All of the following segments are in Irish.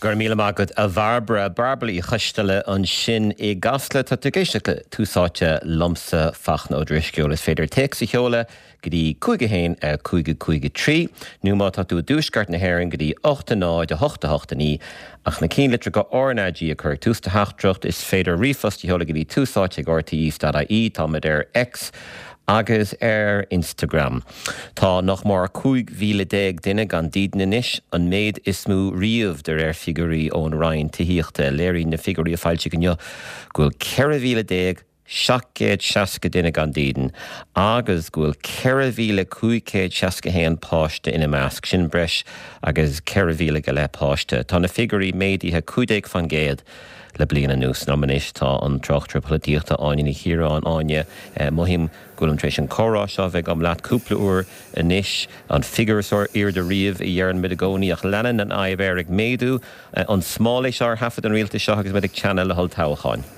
Go raibh míle maith agat a Bhairbre. Bairbre Uí Choisteala ansin i gCasla. Tá tú ag éisteacht le Tús Áite liomsa, Fachtna Ó Drisceoil. Is féidir téacs a sheoladh go dtí 5 1 5 5 3 nó má tá tú i dtuaisceart na hÉireann go dtí 8 0 8 8 9 ach na cinnlitreacha RnaG a chur ag tús do theachtaireacht. Is féidir ríomhphost a sheoladh go dtí túsáite ag rte.ie. Táimid ar X agus ar Instagram. Tá nach mór 15,000 duine gan dídean anois, an méid is mó riamh de réir figiúirí ón Roinn Tithíochta. Léiríonn na figiúirí a foilsíodh inniu go bhfuil 14,760 duine gan dídean agus go bhfuil 4,561 páiste ina measc, sin breis agus 4,000 go leith páiste. Tá na figiúirí méadaithe 15% le bliain anuas. Liom anois tá an tráchtaire polaitíochta Áine Ní Chiaráin. Áine, mothaím go bhfuilim tar éis an comhrá seo a bheith agam leat cúpla uair anois. An figiúr is airde riamh a deireann muid i gcónaí ach leanann an fhadhb air ag méadú. An smál é seo ar thaifead an rialtais seo agus muid ag teannadh le holltoghcháin?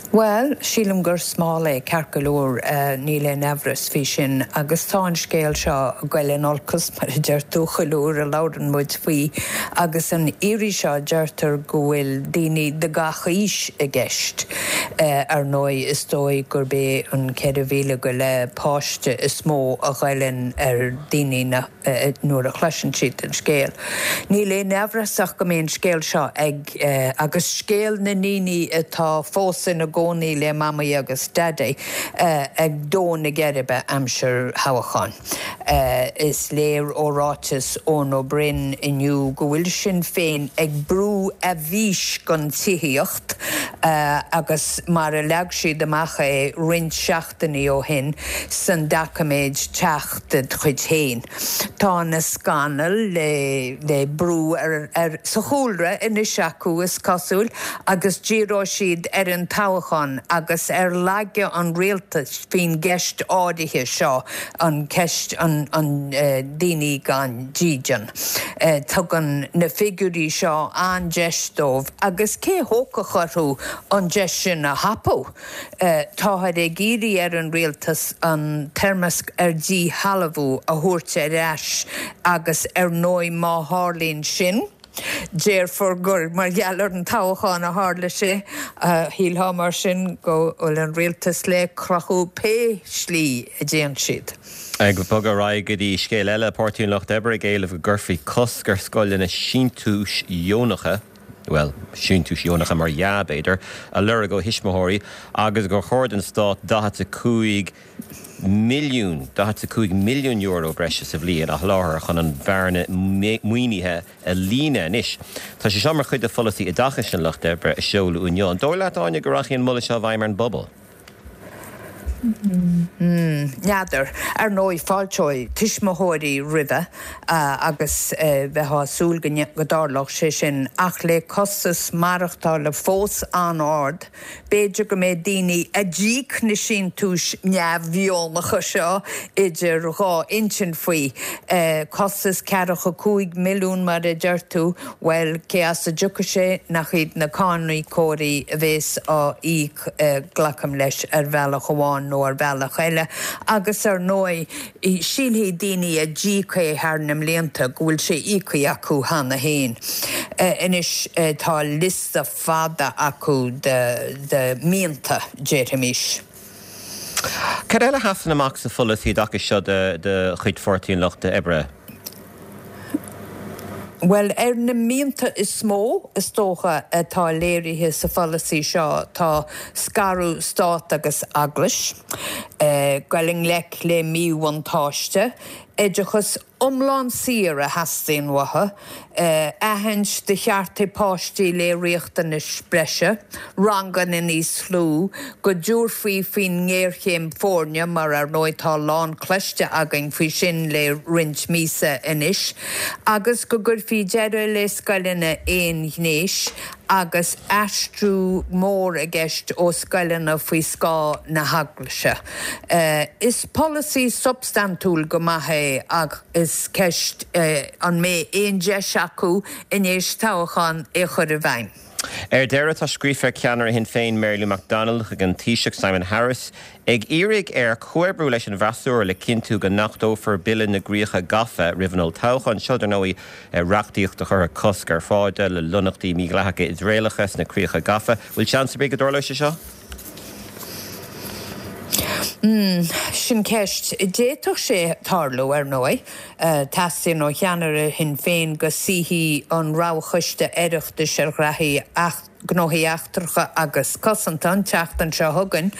Bhuel, sílim gur smál é, ceart go leor, níl aon amhras faoi sin. Agus tá an scéal seo ag goil in olcas, mar a deir tú, chuile uair a labhrann muid faoi. Agus an iarraidh seo deirtear go bhfuil daoine de gach aois i gceist. Ar ndóigh, is dóigh gurb é an 4,000 go leith páiste is mó a ghoilleann ar daoine na. nuair a chloiseann siad an scéal. Níl aon amhras ach go mbeidh an scéal seo ag, agus scéal na ndaoine atá fós ina gcónaí le Mamaí agus Daidí, ag dó na geirbe aimsir thoghcháin. Is léir ó ráiteas Eoin Ó Broin inniu go bhfuil Sinn Féin ag brú a bhfís don tithíocht agus mar a leag siad amach é roinnt seachtainí ó shin san doiciméad Teach ded chuid féin. Tá na scamaill le brú ar sa chúlra anois acu, is cosúil, agus díreoidh siad ar an toghchán agus ar laige an rialtais faoin gceist áirithe seo, an ceist an daoine gan dídean. Tugann na figiúirí seo an-deis dóibh agus cé thógfadh orthu an deis sin a thapú? Táthar ag iarraidh ar an rialtas an toirmeasc ar dhíshealbhú a thabhairt ar ais agus ar ndóigh má tharlaíonn sin, déarfar gur mar gheall ar an toghchán a tharla sé. Shílfeá mar sin go bhfuil an rialtas le crochadh pé slí a dtéann siad. Ag bogadh ar aghaidh go dtí scéal eile, Páirtí an Lucht Oibre ag éileamh go gcuirfí cosc ar scoileanna síntiúis dheonacha, bhuel, síntiúis dheonacha mar dhea, b'fhéidir, a lorg ó thuismitheoirí agus gur chóir don stát 45 milliún, €45 milliún breise sa bhliain a sholáthar chun an bhearna maoinithe a líonadh. Anois, tá sé seo mar chuid de pholasaí oideachais an Lucht Oibre a seoladh inniu. An dóigh leat, Áine, go rachaidh an moladh seo i bhfeidhm ar an bpobal? N'fheadar. Ar ndóigh, fáilteoidh tuismitheoirí roimhe agus bheifeá ag súil go dtarlódh sé sin ach le costas maireachtála fós an-ard, b'fhéidir go mbeidh daoine a d'íoc na síntiúis neamhdheonacha seo idir dhá intinn faoi. Costas ceathracha 5 milliún mar a deir tú, bhuel, cé as a dtiocfaidh sé? Nach iad na cáiníocóirí a bhéas á íoc? glacaim leis, ar bhealach amháin nó ar bhealach eile, agus ar ndóigh, sílfidh daoine a d'íoc é thar na mblianta go bhfuil sé íoctha acu cheana féin. Anois, tá liosta fada acu de mhianta, déarfaimis. Cad eile a sheasann amach sa pholasaí oideachais seo de chuid Pháirtí an Lucht Oibre? Bhuel, ar na mianta is mó, is dócha, atá léirithe sa pholasaí seo tá scaradh stát agus eaglais, goil i ngleic le míbhuntáiste, oideachas iomlán saor a theastaíonn uathu, aithint do chearta páistí le riachtanais breise, ranganna níos lú, go dtabharfaí faoin ngéarchéim foirne, mar ar ndóigh tá a lán cloiste againn faoi sin le roinnt míosa anois, agus go gcuirfí deireadh le scoileanna aonghnéis, agus aistriú mór i gceist ó scoileanna faoi scáth na heaglaise. Is polasaí substaintiúil go maith é ach is ceist an mbeidh aon deis acu i ndiaidh toghchán é a chur i bhfeidhm. Ar deireadh, tá scríofa ag ceannaire Shinn Féin, Mary Lou McDonald, chuig an Taoiseach Simon Harris, ag iarraidh air comhoibriú leis an bhfreasúra le cinntiú go n-achtófar Bille na gCríocha Gafa roimh an olltoghchán. Seo, dar ndóigh, reachtaíocht a chuirfeadh cosc ar thrádáil le lonnaíochtaí mídhleathacha Iosraelacha sna Críocha Gafa. Bhfuil seans ar bith go dtarlóidh sé seo? Hmm, sin ceist. D'fhéadfadh sé tarlú, ar ndóigh. Teastaíonn ó cheannaire Shinn Féin go suífidh an Roghchoiste Oireachtais ar Ghnóthaí Eachtracha agus Cosanta an tseachtain seo chugainn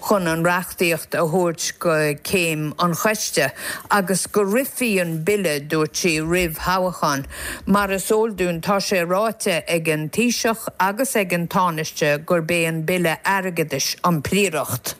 chun an reachtaíocht a thabhairt go céim an choiste agus go rithfí an bille, dúirt sí, roimh thoghchán. Mar is eol dúinn, tá sé ráite ag an Taoiseach agus ag an Tánaiste gurb é an Bille Airgeadais an phríoracht.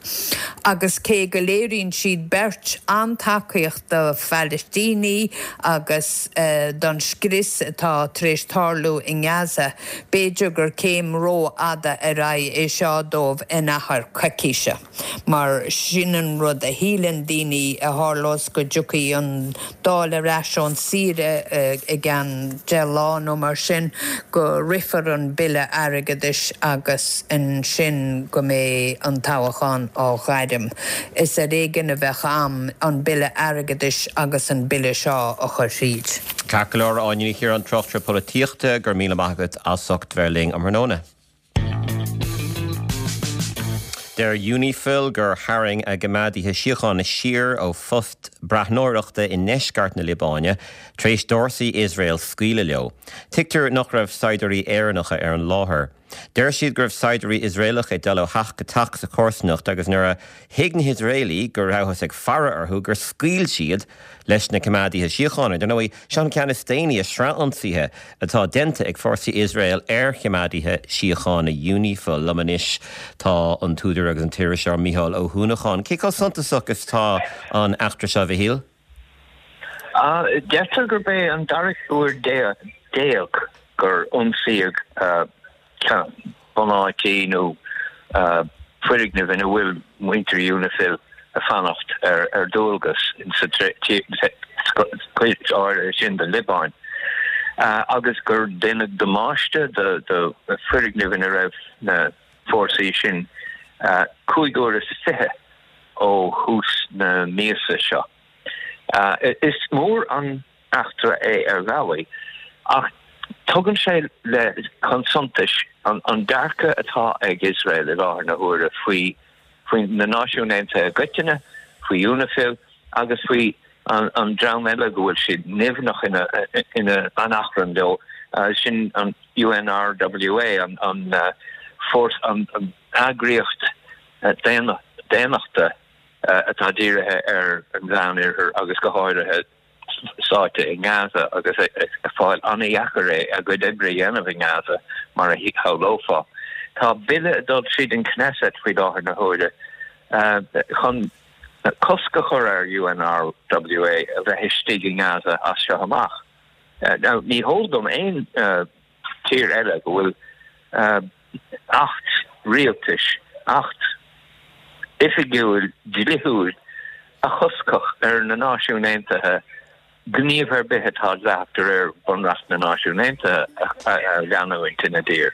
Agus cé go léiríonn siad beirt an-tacaíocht do Phalaistínigh agus don scrios atá tar éis tarlú i nGaza, b'fhéidir gur céim rófhada ar aghaidh é seo dóibh in achar coicíse. Mar sin an rud a shíleann daoine a tharlós, go dtiocfaidh an Dáil ar ais ón saoire i gceann 10 lá nó mar sin, go rithfear an Bille Airgeadais agus ansin go mbeidh an toghchán á ghairm. Is ar éigean a bheadh am an Bille Airgeadais agus an Bille seo a chur thríd. Ceart go leor, Áine Ní Chiaráin, tráchtaire polaitíochta, go raibh míle maith agat as ucht bheith linn um thráthnóna. Deir Unifil gur tharraing a gcoimeádaithe síochána siar ó phost breathnóireachta i ndeisceart na Liobáine tar éis d'fhórsaí Iosrael scaoileadh leo. Tuigtear nach raibh saighdiúirí Éireannacha ar an láthair. Deir siad go raibh saighdiúirí Iosraelacha ag dul ó theach go teach sa chomharsanacht agus nuair a thuig na hIosraelaigh go rabhthas ag faire orthu gur scaoil siad leis na coimeádaithe síochána. Dar ndóigh, seo an ceann is déanaí i sraith ionsaithe atá déanta ag fórsaí Iosrael ar choimeádaithe síochána Unifil. Liom anois tá an t-údar agus an t-iriseoir Mícheál Ó hUanacháin. Cé chomh suntasach is atá an eachtra seo, a Mhichíl? Deirtear gurb é an dara huair déag gur ionsaíodh bunáití nó foirgnimh ina bhfuil muintir Unifil ag fanacht ar dualgas sa chuid áirithe sin den Liobáin agus gur deineadh damáiste do foirgnimh ina raibh na fórsaí sin 25 ó thús na míosa seo. Is mór an eachtra é ar bhealaí, ach tugann sé le chun suntais an dearcadh atá ag Iosrael i láthair na huaire faoi faoi na Náisiúin Aontaithe i gcoitinne, faoi Unifil agus faoi an dream eile go bhfuil siad nimhneach ina ina anachrann leo, sin an UNRWA, an an eagraíocht daonnachta atá dírithe ar an Mheánoirthear agus go háirithe sáite i nGaza agus ag fáil an-dheacair é a gcuid oibre a dhéanamh i nGaza mar a shamhlófá. Tá bille ag dul tríd an Knesset faoi láthair na huaire chun cosc a chur ar UNRWA a bheith istigh i nGaza as seo amach. Now ní heol dom aon tír eile go bhfuil acht rialtais, acht oifigiúil dlíthiúil a choscfadh ar na Náisiúin Aontaithe gníomh ar bith atá dleathach de réir Bhunreacht na Náisiún Aontaithe a leanúint ina dtír.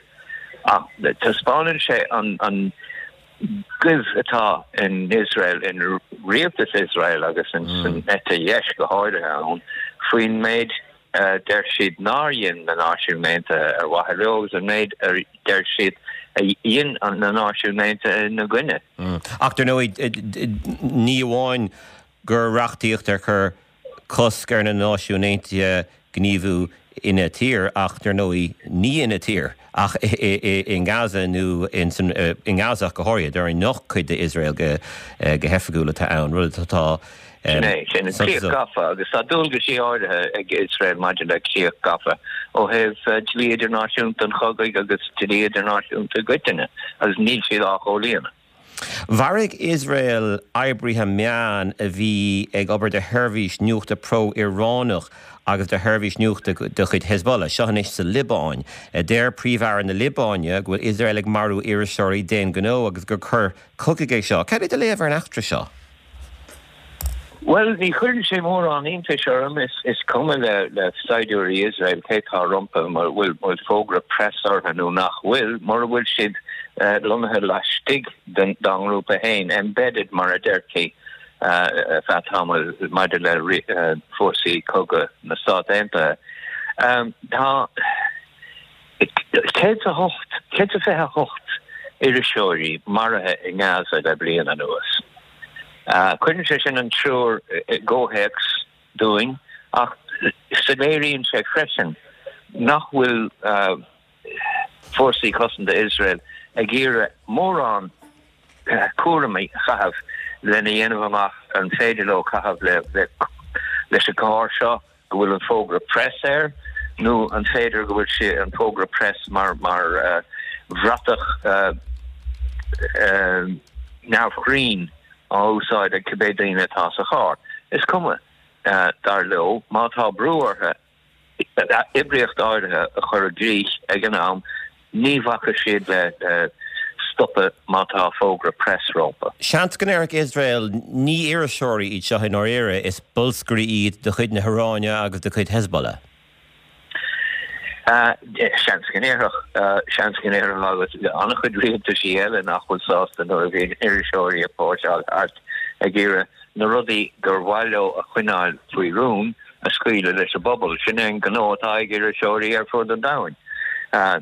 Ach taispeánann sé an goimh atá in Iosrael, in rialtas Iosrael agus san eite dheis go háirithe ann, faoin méid a deir siad nár dhein na Náisiúin Aontaithe ar mhaithe leo agus an méid a deir siad a dhein na Náisiúin Aontaithe ina gcoinne. Ach dar ndóigh, ní amháin gur reachtaíocht ar chuir cosc ar na Náisiúin Aontaithe gníomhú ina tír ach dar ndóigh ní ina tír ach i nGaza nó i nGaza ach go háirithe, dar ndóigh nach cuid d'Iosrael go hoifigiúil atá ann, rud atá Sin é, sin an críoch gafa agus tá dualgaisí áirithe ag Iosrael maidir le críoch gafa ó thaobh dlí idirnáisiúnta an chogaidh agus dlí idirnáisiúnta i gcoitinne agus níl siad á chomhlíonadh. Mharaigh Iosrael oibrithe meán a bhí ag obair do sheirbhís nuachta pro-Ioránach agus do sheirbhís nuachta de chuid Hezbollah, seo anois sa Liobáin. Deir Príomh-Aire na Liobáine go bhfuil Iosrael ag marú iriseoirí d'aon ghnó agus gur coir cogaidh é seo. Cad é do léamh ar an eachtra seo? Bhuel, ní chuireann sé mórán iontais orm. Is cuma le saighdiúirí Iosrael cé tá rompu, an bhfuil fógra press orthu nó nach bhfuil, mura bhfuil siad lonnaithe laistigh dá ngrúpa féin, embedded mar a deirtí ar feadh tamaill maidir le fórsaí cogaidh na Stát Aontaithe. Tá. 108, 128 iriseoirí maraithe i nGaza le bliain anuas. Cuireann sé sin an triúr i gcomhthéacs dúinn ach soiléiríonn sé freisin nach bhfuil Fórsaí Cosanta Iosrael ag iarraidh mórán cúraimí a chaitheamh lena dhéanamh amach an féidir leo caitheamh leis an gcarr seo go bhfuil an fógra press air nó an féidir go bhfuil sé an fógra press mar mar bhratach neamhchruinn á úsáid ag cibé daoine atá sa charr. Is cuma, dar leo, má tá brú orthu oibríocht áirithe a chur i gcrích ag an am, ní bhacfaidh siad le stopadh má tá fógra press rompu. Seans go ndéarfadh Iosrael, ní iriseoirí iad seo i ndáiríre, is bolscairí iad de chuid na hIaráine agus de chuid Hezbollah. Seans go ndéarfadh. Seans go ndéarfadh agus an-chuid rialtaisí eile nach bhfuil sásta nuair a bhíonn iriseoirí ag póirseáil thart ag iarraidh na rudaí gur mhaith leo a choinneáil faoi rún a scaoileadh leis an bpobal. Sin é an gnó atá ag iriseoirí ar fud an domhain.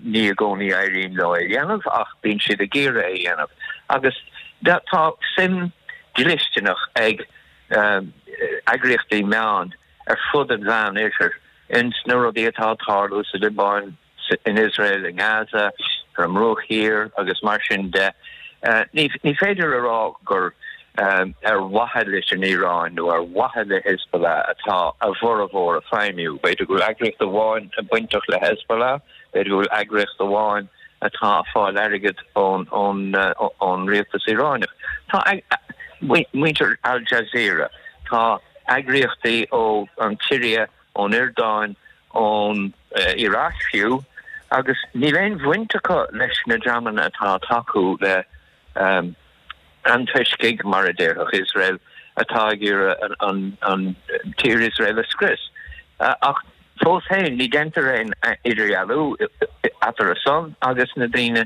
Ní i gcónaí a éiríonn leo é a dhéanamh ach bíonn siad ag iarraidh é a dhéanamh. Agus tá suim dhlisteanach ag eagraíochtaí meán ar fud an Mheán-Oirthir ins na rudaí atá ag tarlú sa Liobáin, in Iosrael, i nGaza, ar an mBruach Thiar agus mar sin de. Ní féidir a rá gur ar mhaithe leis an Iaráin nó ar mhaithe le Hezbollah atá a bhformhór ag feidhmiú. B'fhéidir go bhfuil eagraíocht amháin bainteach le Hezbollah, b'fhéidir go bhfuil eagraíocht amháin atá ag fáil airgead ón rialtas Iaráineach. Tá muintir Al Jazeera, tá eagraíochtaí ó an tSiria, ón Iordáin, ón Iaráic fiú, agus níl aon bhaint acu leis na dreamanna atá ag tacú le antoiscigh, mar a déarfadh Iosrael, atá ag iarraidh an tír Iosrael a scrios. Ach fós féin, ní deintear aon idirdhealú eatarthu san agus na daoine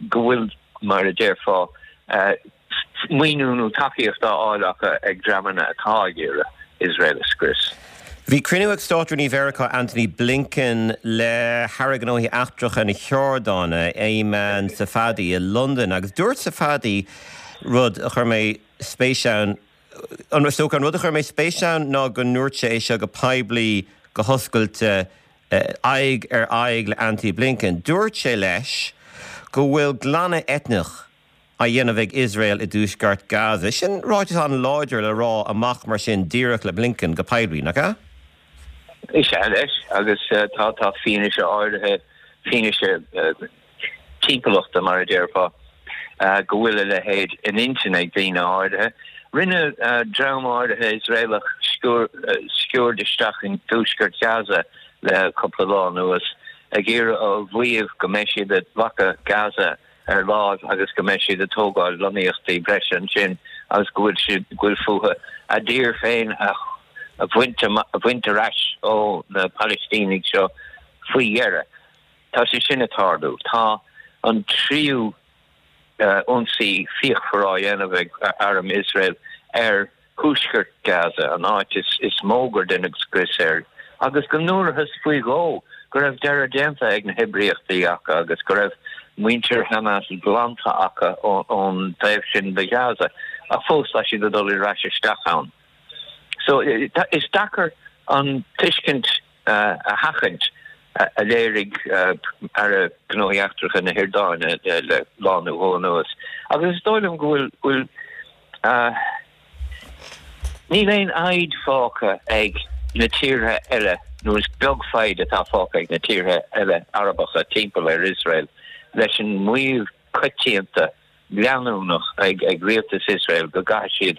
go bhfuil, mar a déarfá, maoiniú nó tacaíocht á fháil acu ag dreamanna atá ag iarraidh Iosrael a scrios. Bhí cruinniú ag Státrúnaí Mheiriceá Antony Blinken le hAire Gnóthaí Eachtracha na hIordáine, Ayman Safadi, i Londain agus dúirt Safadi rud a chuir mé spéis ann, is dócha an rud a chuir mé spéis ann ná go ndúirt sé é seo go poiblí, go hoscailte, aghaidh ar aghaidh le Antony Blinken. Dúirt sé leis go bhfuil glanadh eitneach á dhéanamh ag Iosrael i dtuaisceart Gaza. Sin ráiteas an-láidir le rá amach mar sin díreach le Blinken go poiblí, nach ea? Is ea leis, agus tá tá fianaise áirithe, fianaise timpeallachta mar a déarfá, go bhfuil a leithéid in intinn ag daoine áirithe. Rinne dream áirithe Iosraelach sciuird isteach i dtuaisceart Ghaza le cúpla lá anuas ag iarraidh a mhaíomh go mbeidh siad ag glacadh Gaza ar láimh agus go mbeidh siad ag tógáil lonnaíochtaí breise ansin agus go bhfuil siad, go bhfuil fúthu a dtír féin a bhaint, a bhaint ar ais ó na Palaistínigh seo faoi dheireadh. Tá sé sin ag tarlú. Tá an tríú ionsaí fíochmhar á dhéanamh ag arm Iosrael ar thuaisceart Gaza, an áit is mó gur deineadh scrios air, agus go ndúrathas faoi dhó go raibh deireadh déanta ag na hoibríochtaí acu agus go raibh muintir Hamas glanta acu ón taobh sin de Ghaza, ach fós tá siad ag dul ar ais isteach ann. So, is deacair an tuiscint a sheachaint a léirigh Aire Gnóthaí Eachtracha na hIordáine le lá nó dhó anuas. Agus is dóigh liom go bhfuil Níl aon fhoighid fágtha ag na tíortha eile, nó is beag foighid atá fágtha ag na tíortha eile Arabacha timpeall ar Iosrael leis an maíomh coitianta leanúnach ag rialtas Iosrael go gcaithfidh siad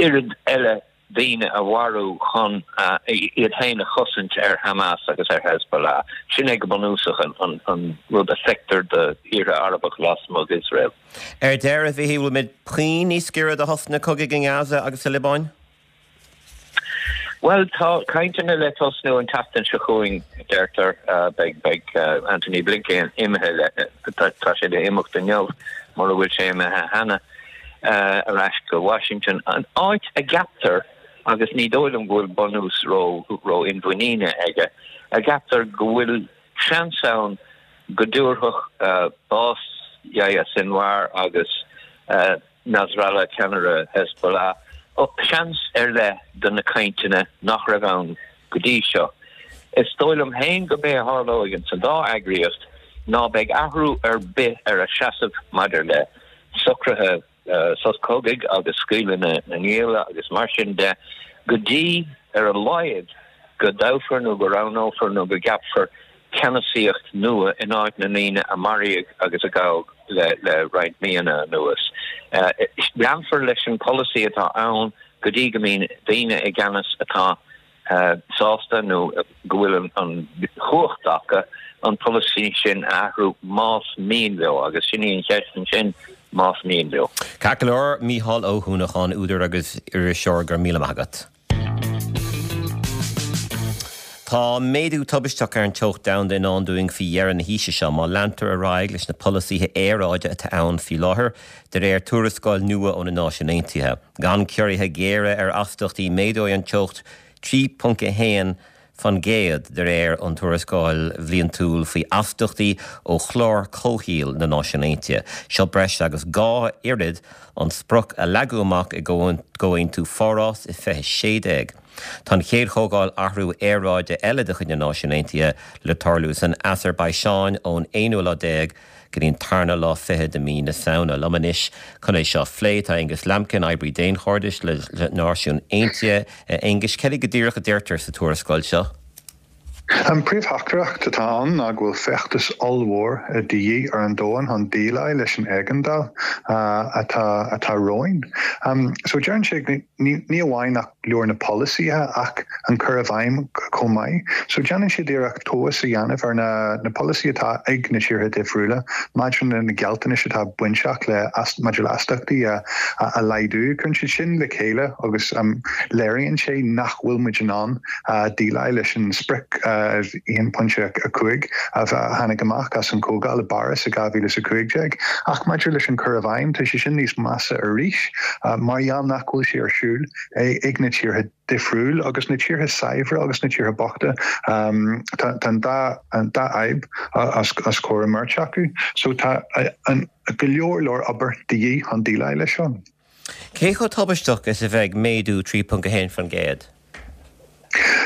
oiread eile daoine a mharú chun iad féin a chosaint ar Hamas agus ar Hezbollah. Sin é go bunúsach an rud a feictear do thíortha Arabacha lasmuigh d'Iosrael. Ar deireadh, a Mhichíl, bhfuil muid puinn níos giorra do shos na cogaidh i nGaza agus sa Liobáin? Bhuel, tá cainteanna le tosnú an tseachtain seo chugainn, deirtear. Beidh, beidh Antony Blinken imithe le, tá sé le himeacht inniu, mura bhfuil sé imithe cheana, ar ais go Washington, an áit a gceaptar, agus ní dóigh liom go bhfuil bunús ró, ró-inmhuiníne aige, a gceaptar go bhfuil seans ann go dtabharfadh bás Yahya Sinwar agus Nasrallah, ceannaire Hezbollah, seans ar leith do na cainteanna nach raibh ann go dtí seo. Is dóigh liom féin go mb'é a tharlóidh ins an dá eagraíocht ná beidh athrú ar bith ar a seasamh maidir le socruithe sos cogaidh agus scaoileadh na ngialla agus mar sin de go dtí, ar a laghad, go dtoghfar nó go roghnófar nó go gceapfar ceannasaíocht nua in áit na ndaoine a maraíodh agus a gabhadh le roinnt míonna anuas. Leanfar leis an polasaí atá ann go dtí go mbíonn daoine i gceannas atá sásta nó go bhfuil an chumhacht acu an polasaí sin a athrú más mian leo, agus sin í an cheist ansin, más mian leo. Ceart go leor, Mícheál Ó hUanacháin, údar agus iriseoir, go raibh míle maith agat. Tá méadú tubaisteach ar an teocht domhanda i ndán dúinn faoi dheireadh na haoise seo má leantar ar aghaidh leis na polasaithe aeráide atá ann faoi láthair, de réir tuarascáil nua ó na Náisiúin Aontaithe. Gan ciorruithe géara ar astaíochtaí méadóidh an teocht 3.1 fan gcéad, de réir an tuarascáil bhliantúil faoi astaíochtaí ó Chlár Comhshaoil na Náisiún Aontaithe. Seo breis agus 2 oiread an sprioc a leagadh amach i gComhaontú Pháras i 2016. Tá an chéad chomhdháil athrú aeráide eile de chuid na Náisiún Aontaithe le tarlú san Asarbaiseáin ón aonú lá déag go dtí an tarna lá 20 de mí na Samhna. Liom anois chun é seo a phlé tá Aonghus Lambkin, oibrí daonchairdis le Náisiúin Aontaithe. A Aonghuis, céard go díreach a deirtear sa tuarascáil seo? An príomhtheachtaireacht atá ann ná go bhfuil feachtas ollmhór de dhíth ar an domhan chun déileáil leis an éigeandáil atá atá romhainn. So deireann sé ní ní amháin nach leor na polasaithe ach an cur i bhfeidhm chomh maith. So déanann siad iarracht tomhas a dhéanamh ar na na polasaithe atá ag na tíortha difriúla maidir le na gealltanais atá bainteach le maidir le astaíochtaí a a laghdú. Cuireann siad sin le chéile agus léiríonn sé nach bhfuil muid in ann déileáil leis an sprioc 1.5 a tháinig amach as an chomhdháil i bPáras i 2015. Ach maidir leis an cur i bhfeidhm, tá sé sin níos measa arís mar gheall nach bhfuil sé ar siúl ag na tíortha difriúil agus na tíortha saibhre agus na tíortha bochta. Tá an dá fhadhb os comhair an mbeirt acu. So tá go leor leor obair de dhíth chun déileáil leis seo. Cé chomh tubaisteach is a bheidh méadú 3.1%?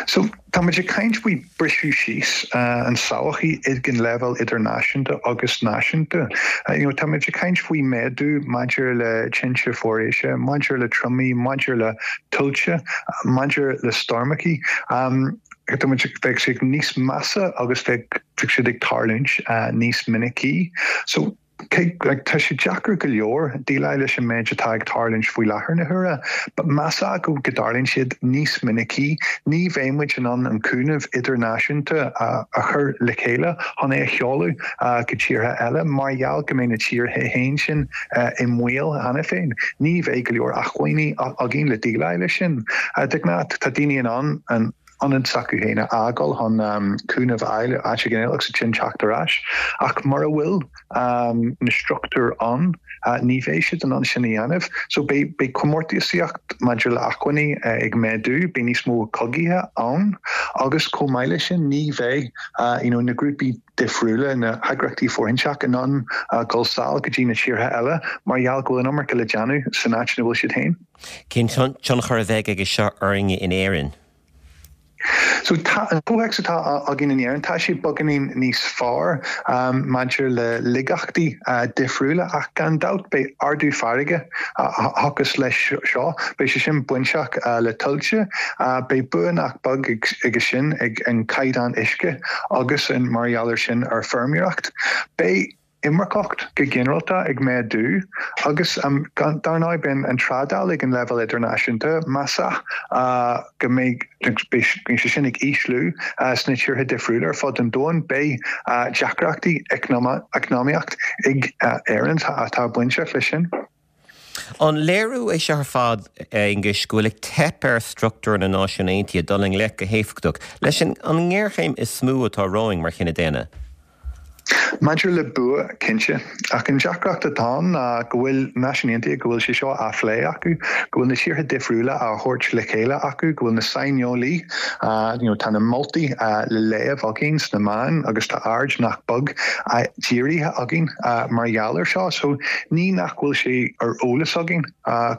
So, tá muid ag caint faoi briseadh síos an tsochaí ag an leibhéal idirnáisiúnta agus náisiúnta. You know, tá muid ag caint faoi méadú maidir le tinte foraoise, maidir le triomaigh, maidir le tuilte, maidir le stoirmeacha. Tá muid, beidh siad níos measa agus beidh siad ag tarlúint níos minicí. So, Cé tá sé deacair go leor déileáil leis an méid atá ag tarlúint faoi láthair na huaire, but más ea go dtarlaíonn siad níos minicí, ní bheidh muid in ann an cúnamh idirnáisiúnta a chur le chéile chun é a sheoladh go tíortha eile mar gheall go mbeidh na tíortha féin sin i mbaol cheana féin. Ní bheidh go leor acmhainní againn le déileáil leis sin. De ghnáth, tá daoine in ann an ionad s'acu féin a fhágáil chun cúnamh a fháil áit éigin eile agus ansin teacht ar ais. Ach mura bhfuil na struchtúir ann, ní bheidh siad in ann sin a dhéanamh. So beidh beidh comórtasaíocht maidir le acmhainní ag méadú, beidh níos mó cogaithe ann agus chomh maith leis sin ní bheidh you know na grúpaí difriúla, na heagraíochtaí fóirithinte in ann dul sall go dtí na tíortha eile mar gheall go bhfuil an iomarca le déanamh san áit ina bhfuil siad féin. Cén tionchar a bheidh aige seo orainne in Éirinn? So tá an comhthéacs atá againn in Éirinn, tá sé beagáinín níos fearr maidir le laigeachtaí difriúla ach gan dabht beidh ardú farraige a thiocfas leis seo, beidh sé sin bainteach le tuilte, beidh bua nach beag aige sin ag an caighdeán uisce agus mar gheall ar sin ar feirmeoireacht. Beidh. imirceacht go ginearálta ag méadú agus dar ndóigh beidh an trádáil ag an leibhéal idirnáisiúnta más ea go mbeidh sé sin ag ísliú sna tíortha difriúla ar fud an domhain beidh deacrachtaí eacnamaíocht ag Éirinn atá bainteach leis sin. An léiriú é seo ar fad, a Aonghuis, go bhfuil ag teip ar struchtúir na Náisiún Aontaithe dul i ngleic go héifeachtach leis an ngéarchéim is mó atá romhainn mar chine daonna? Maidir le bua, cinnte. Ach an deacracht atá ann ná go bhfuil Náisiúin Aontaithe, go bhfuil sé seo á phlé acu, go bhfuil na tíortha difriúla á thabhairt le chéile acu, go bhfuil na saineolaí, you know, tá na moltaí le léamh againn sna meáin agus tá aird nach beag dírithe againn mar gheall ar seo. So ní nach bhfuil sé ar eolas againn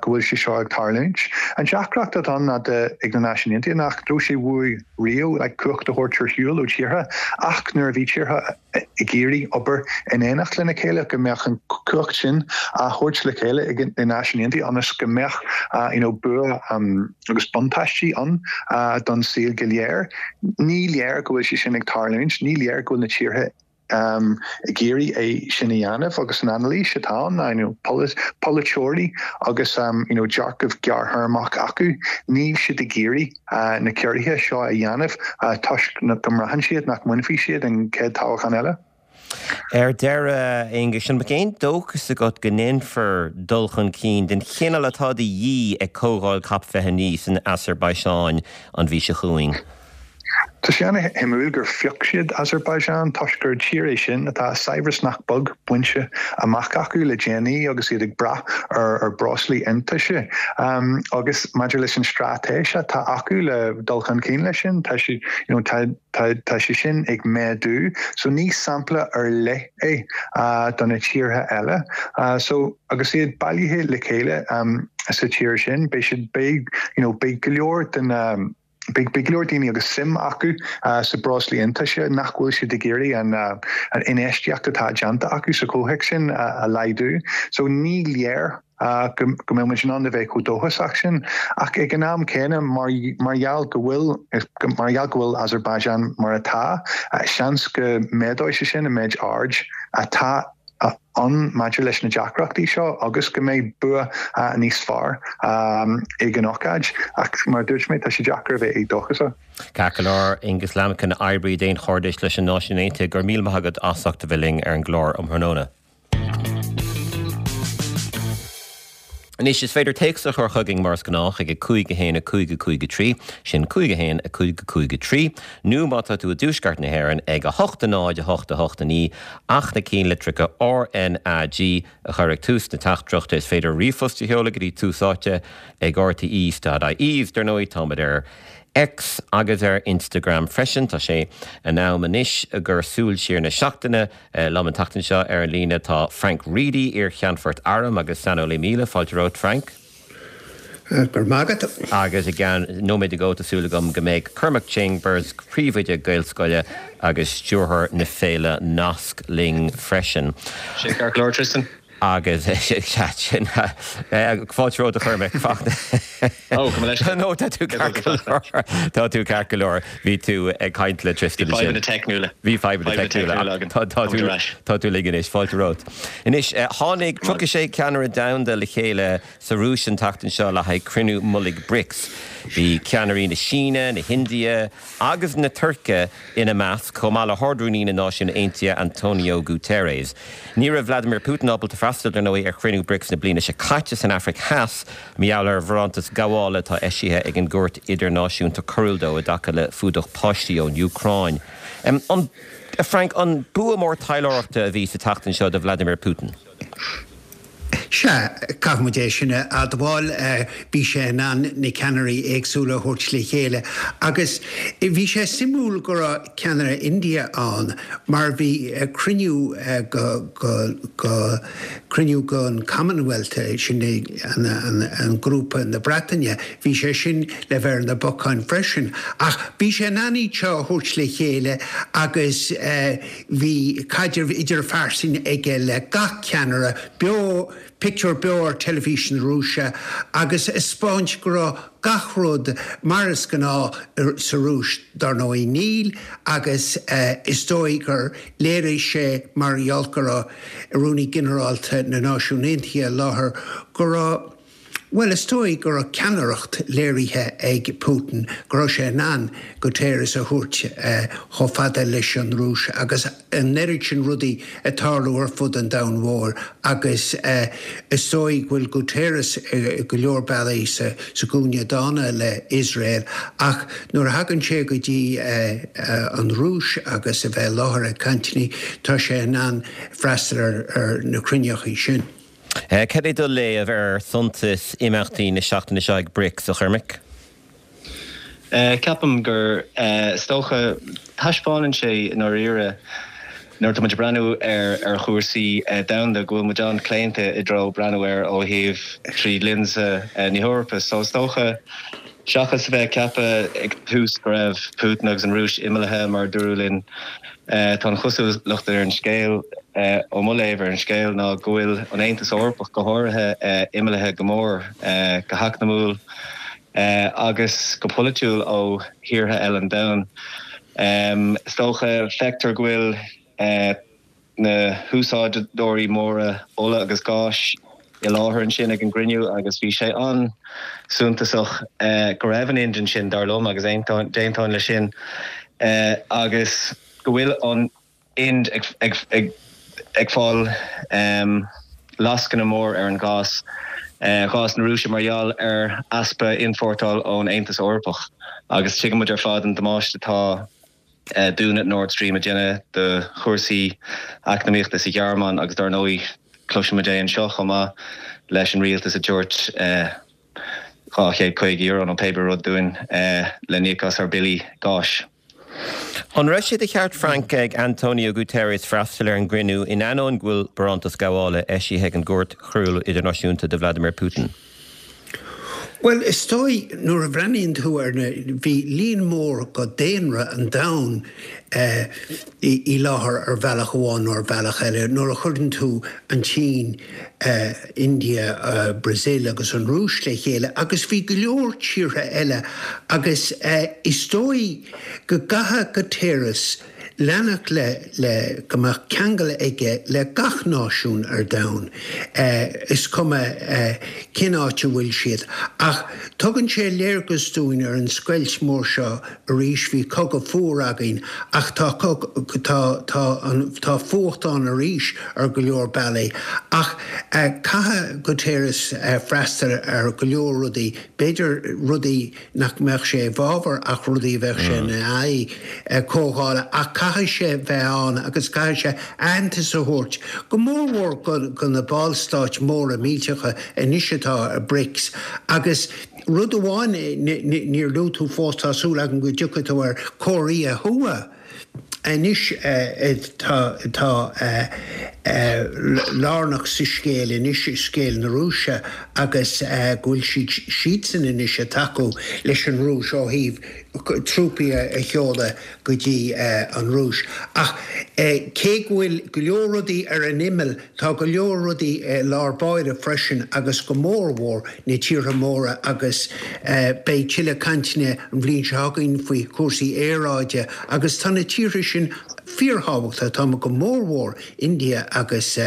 go bhfuil sé seo ag tarlúint. An deacracht atá ann ná ag na Náisiúin Aontaithe nach raibh sé uaidh riamh like cumhacht a thabhairt ar shiúl ó tíortha ach nuair a bhí tíortha ag iarraidh obair in éineacht lena chéile go mbeadh an cumhacht sin á thabhairt le chéile ag na Náisiúin Aontaithe ionas go mbeadh you know bua agus buntáistí ann don saol go léir. Ní léir go bhfuil sé sin ag tarlúint, ní léir go bhfuil na tíortha ag iarraidh é sin a dhéanamh agus an anailís atá ann ná you know polaiteoirí agus you know dearcadh gearrthéarmach acu, níl siad ag iarraidh na ciorruithe seo a dhéanamh toisc go mbraitheann siad nach mbainfidh siad an chéad toghchán eile. Ar deireadh, a Aonghuis, an mbeadh aon dóchas agat go ndéanfar dul chun cinn den chineál atá de dhíth ag Comhdháil Cop 29 san Asarbaiseáin an mhí seo chugainn? Tá sé ana-shuimiúil gur phioc siad Azerbaijan toisc gur tír é sin atá saibhreas nach beag bainte amach acu le déanaí agus iad ag brath ar breoslaí iontaise. Agus maidir leis an straitéis atá acu le dul chun cinn leis sin, tá sé you know tá tá tá sé sin ag méadú. So ní sampla ar leith é do na tíortha eile. So agus iad bailithe le chéile sa tír sin, beidh siad beidh you know beidh go leor de na Beidh go leor daoine agus suim acu sa breoslaí iontaise nach bhfuil siad ag iarraidh an infheistíocht atá déanta acu sa chomhthéacs sin a laghdú. So ní léir go mbeidh muid in ann a bheith chomh dóchasach sin. Ach ag an am céanna, mar gheall go bhfuil mar gheall go bhfuil Azerbaijan mar atá, seans go méadóidh sé sin an méid aird atá ann maidir leis na deacrachtaí seo agus go mbeidh bua níos fearr ag an ócáid. Ach mar a dúirt mé, tá sé deacair a bheith éadóchasach. Ceart go leor, Aonghus Lambkin, oibrí daonchairdis leis na Náisiúin Aontaithe, go raibh míle maith agat as ucht a bheith linn ar an gclár um thráthnóna. Anois, is féidir téacs a chur chugainn mar is gnách ag 5 1 5 5 3, sin 5 1 5 5 3, nó má tá tú i dtuaisceart na hÉireann ag 8 0 8 8 9 ach na ceannlitreacha RnaG a chur ag tús na teachtaireachta. Is féidir ríomhphost a sheoladh go dtí Tús Áite ag rte.ie agus dar ndóigh táimid ar X agus ar Instagram freisin. Tá sé in am anois gur súil siar na seachtaine. Liom an tseachtain seo ar an líne tá Frank Reidy, iar-Cheannfort Airm agus saineolaí míleata. Fáilte romhat, Frank. Go raibh maith agat. Agus i gceann nóiméad nó dhó tá súil agam go mbeidh Cormac Chambers, príomhoide Gaelscoile agus stiúrthóir na féile Nasc linn freisin. Sé ceart go leor, Tristan. Agus sin fáilte romhat a Chormaic. Ó, go leis. No, tá tú ceart go leor. Tá tú ceart go leor. Bhí tú ag caint le Tristan Bhí fadhbanna teicniúla. Bhí fadhbanna teicniúla againn. Tá tú tá tú linn anois, fáilte romhat. Anois, tháinig 36 ceannaire domhanda le chéile sa Rúis an tseachtain seo le haghaidh cruinniú mullaigh BRICS. Bhí ceannairí na Síne, na hIndia agus na Tuirce ina measc, chomh maith le hArd-Rúnaí na Náisiún Aontaithe Antonio Guterres. Ní raibh Vladimir Putin ábalta freastal, dar ndóigh, ar chruinniú BRICS na bliana seo caite san Afraic Theas, mar gheall ar bharántas gabhála atá eisithe ag an gCúirt Idirnáisiúnta Coiriúil dó i dtaca le fuadach páistí ón Úcráin. An, a Frank, an bua mór taidhleoireachta a bhí sa tseachtain seo do Vladimir Putin? Sea, caithfidh muid é sin a admháil, bhí sé in ann na ceannairí éagsúla a thabhairt le chéile agus bhí sé suimiúil go raibh ceannaire India ann mar bhí cruinniú go, go, go, cruinniú den Commonwealth, sin an grúpa na Breataine, bhí sé sin le bheith ar na bacáin freisin ach bhí sé in ann iad seo a thabhairt le chéile agus Bhí caidreamh idirphearsan aige le gach ceannaire, beo, pictiúr beo ar teilifís na Rúise agus ag 'spáint go raibh gach rud mar is gnáth sa Rúis, dár ndóigh níl agus is dóigh gur léirigh sé mar gheall go raibh Rúnaí Ginearálta na Náisiún Aontaithe i láthair go raibh. Bhuel, is dóigh go raibh ceannaireacht léirithe ag Putin, go raibh sé in ann Guterres a thabhairt chomh fada leis an Rúis agus an oiread sin rudaí ag tarlú ar fud an domhain mhóir agus is dóigh go bhfuil Guterres i go leor bealaí sa gcúinne dána le Iosrael ach nuair a thagann sé go dtí an Rúis agus a bheith i láthair ag cainteanna tá sé in ann freastal ar na cruinneachaí sin. Cad é do léamh ar shuntas imeachtaí na seachtaine seo ag Brics, a Chormaic? Ceapaim gur, is dócha, taispeánann sé i ndáiríre nuair atá muid ag breathnú ar chúrsaí domhanda go bhfuil muid an-chlaonta i dtreo breathnú air ó thaobh tríd lionsa na hEorpa. So is dócha, seachas a bheith ag ceapadh ag tús go raibh Putin agus an Rúis imeallaithe mar a dúradh linn, tá an chosúlacht ar an scéal, ó mo léamh ar an scéal, ná go bhfuil an Aontas Eorpach go háirithe imeallaithe go mór, go heacnamúil agus go polaitiúil ó thíortha eile an domhain. Is dócha, feictear go bhfuil na húsáideoirí móra ola agus gáis i láthair ansin ag an gcruinniú agus bhí sé an-suntasach go raibh an Ind ansin, dar liom, agus d'aontóinn leis sin, agus go bhfuil an. Ind ag fáil lascaine mór ar an ghás, gás na Rúise, mar gheall ar easpa iompórtáil ón Aontas Eorpach. Agus tuigeann muid ar fad an damáiste atá dúnadh Nord Stream ag déanamh do chúrsaí eacnamaíochta sa Ghearmáin agus dar ndóigh cloiseann muid é anseo chomh maith leis an rialtas ag tabhairt €250 nó pé rud dúinn le n-íoc as ár billí gáis. An raibh sé de cheart, Frank, ag Antonio Guterres freastal ar an gcruinniú in ainneoin go bhfuil barántas gabhála eisithe ag an gCúirt Choiriúil Idirnáisiúnta do Vladimir Putin? Bhuel, is dóigh, nuair a bhreathnaíonn tú ar na, bhí líon mór go daonra an domhain i láthair ar bhealach amháin nó ar bhealach eile. Nuair a chuireann tú an tSín, India, Brazil agus an Rúis le chéile agus bhí go leor tíortha eile agus is dóigh go gcaithfidh Guterres leanacht le le go mbeadh ceangal aige le gach náisiún ar domhan, is cuma cén áit a bhfuil siad. Ach tugann sé léargas dúinn ar an scoilt mór seo arís, bhí cogadh fuar againn ach tá tá tá an tá fuacht ann arís ar go leor bealaí. Ach caithfidh Guterres freastal ar go leor rudaí, b'fhéidir rudaí nach mbeadh sé i bhfabhar ach rudaí a bheadh sé in aghaidh comhdhála ach caithfidh sé bheith ann agus caithfidh sé aitheantas a thabhairt, go mórmhór go na ballstáit móra millteacha anois atá i Brics. Agus rud amháin níor luaigh tú fós, tá súil agam go dtiocfaidh tú air, Cóiréa Thuaidh. Anois tá tá lárnach sa scéal anois i scéal na Rúise agus go bhfuil siad siadsan anois ag tacú leis an Rúis ó thaobh trúpaí a sheoladh go dtí an Rúis. Ach cé go bhfuil go leor rudaí ar an imeall, tá go leor rudaí i lár báire freisin agus go mór mhór na tíortha móra agus beidh tuilleadh cainteanna an bhliain seo chugainn faoi chúrsaí aeráide agus tá na tíortha sin fíorthábhachtach, tá go mór mhór India agus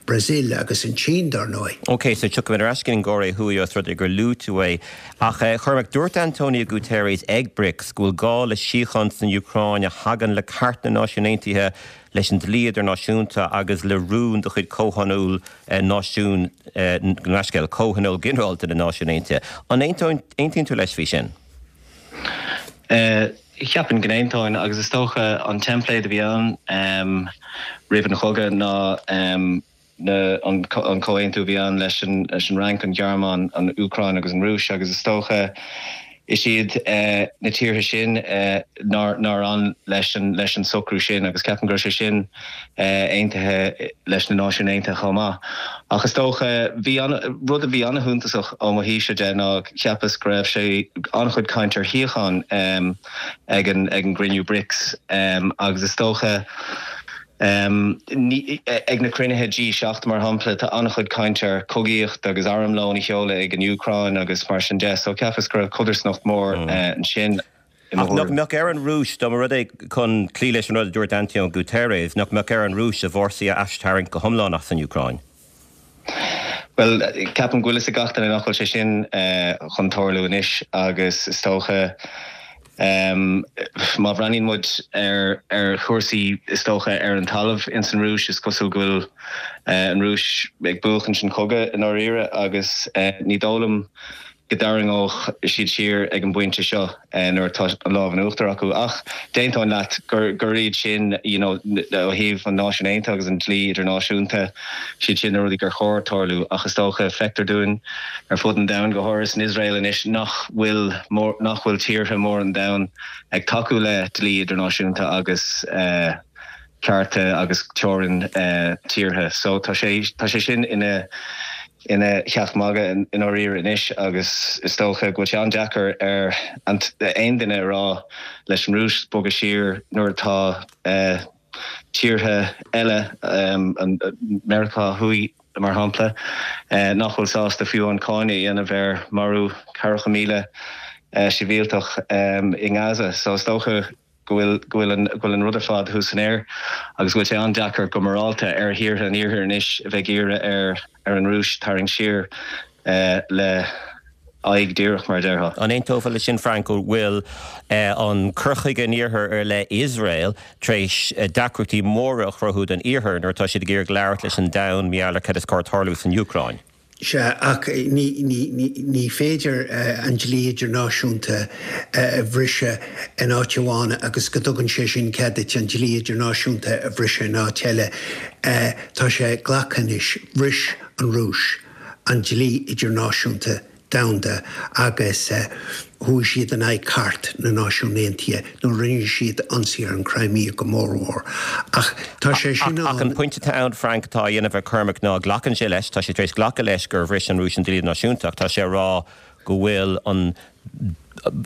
Brazil agus an tSín dar ndóigh. OK, so tiocfaimid ar ais go dtí an gCóiré Thuaidh os rud é gur luaigh tú é. Ach a Chormaic, dúirt Antonio Guterres ag Brics go bhfuil gá le síocháin san Úcráin a thagann le Cairt na Náisiún Aontaithe, leis an dlí idirnáisiúnta agus le rún de chuid Comhthionól Náisiún, leithscéal, Comhthionól Ginearálta na Náisiún Aontaithe. An aontaíonn tú leis faoi sin? Cheapfainn go n-aontóinn agus is dócha an teimpléad a bhí ann roimh an chogadh ná an comhaontú a bhí ann leis an Fhrainc, an Ghearmáin, an Úcráin agus an Rúis agus is dócha is iad na tíortha sin nár fhan leis an socrú sin agus ceapaim go raibh sé sin aontaithe leis na Náisiúin Aontaithe chomh maith. Ach is dócha, bhí an, rud a bhí an-shuntasach ó mo thaobhse de ná cheapas go raibh sé an-chuid caint ar shíocháin ag an gcruinniú Brics agus is dócha, Ag na cruinnithe G7, mar shampla, tá an-chuid caint ar chogaíocht agus armlón a sheoladh ag an Úcráin agus mar sin de, so cheapas go raibh codarsnacht mhór ansin i mo thuairim. Ach nach mbeadh ar an Rúis, dá mba rud é, chun cloí leis an rud a dúirt Antonio Guterres, nach mbeadh ar an Rúis a bhfórsaí a aistarraingt go hiomlán as an Úcráin? Bhuel, ceapaim go bhfuil fhios ag gach duine nach bhfuil sé sin chun tarlú anois agus is dócha má bhreathnaíonn muid ar ar chúrsaí is dócha ar an talamh ins an Rúis, is cosúil go bhfuil an Rúis ag buachaint an chogadh i ndáiríre agus ní dóigh liom go dtarraingeodh siad siar ag an bpointe seo nuair atá an lámh in uachtar acu. Ach d'aontóinn leat gur gur iad sin, you know, ó thaobh an Náisiún Aontaithe agus an dlí idirnáisiúnta, siad sin na rudaí gur chóir tarlú. Ach is dócha, feictear dúinn ar fud an domhain, go háirithe san Iosrael anois, nach bhfuil nach bhfuil tíortha móra an domhain ag tacú le dlí idirnáisiúnta agus eh, cearta agus teorainn tíortha. So tá sé tá sé sin ina ina cheap magaidh i ndáiríre anois agus is dócha go bhfuil sé an-deacair ar aon duine a rá leis an Rúis bogadh siar nuair atá tíortha eile, Meiriceá Thuaidh mar shampla, nach bhfuil sásta fiú amháin cáineadh a dhéanamh ar marú 40,000 sibhialtach i nGaza. So is dócha. go bhfuil, go bhfuil an, go bhfuil an rud ar fad thuas san aer agus go bhfuil sé an-deacair go morálta ar thíortha an Iarthair anois a bheith ag iarraidh ar, ar an Rúis tarraingt siar le aghaidh díreach, mar a déarfá. An aontófá leis sin, Frank, go bhfuil an cur chuige an Iarthair i leith Iosrael tar éis deacrachtaí móra a chruthú don Iarthar nuair atá siad ag iarraidh labhairt leis an domhan mar gheall ar cad is cóir tarlú san Úcráin? Sea, ach ní féidir an dlí idirnáisiúnta a bhriseadh in áit amháin agus go dtugann sé sin cead duit an dlí idirnáisiúnta a bhriseadh in áit eile. Tá sé glactha anois, bhris an Rúis an dlí idirnáisiúnta domhanda agus chuaigh siad in aghaidh Chairt na Náisiún Aontaithe nuair a rinne siad ionsaí ar an Crimea go mórmhór. Ach tá sé sin ann. Ach an pointe atá ann, Frank, atá á dhéanamh ag Cormac ná glacann sé leis, tá sé tar éis glacadh leis gur bhris an Rúis an dlí idirnáisiúnta ach tá sé a rá go bhfuil an,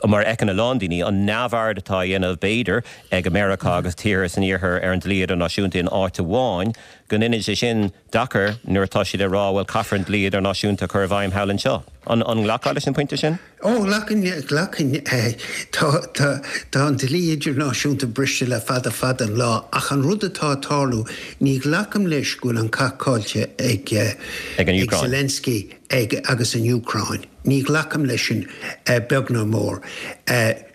mar a fheiceann a lán daoine, an neamhaird atá á dhéanamh, b'fhéidir, ag Meiriceá agus tíortha san Iarthar ar an dlí idirnáisiúnta in áit amháin, go ndéanann sé sin deacair nuair atá siad ag rá, bhuel, caithfear an dlí idirnáisiúnta a chur i bhfeidhm thall anseo. An nglacfá leis an bpointe sin? Ó, ghlacfainn, ghlacfainn. Tá, tá, tá an dlí idirnáisiúnta briste le fada fada an lá, ach an rud atá ag tarlú, ní ghlacaim leis go bhfuil an cath caillte ag, Ag an ag Úcráin. Zelensky ag, agus an Úcráin. Ní ghlacaim leis sin, beag ná mór.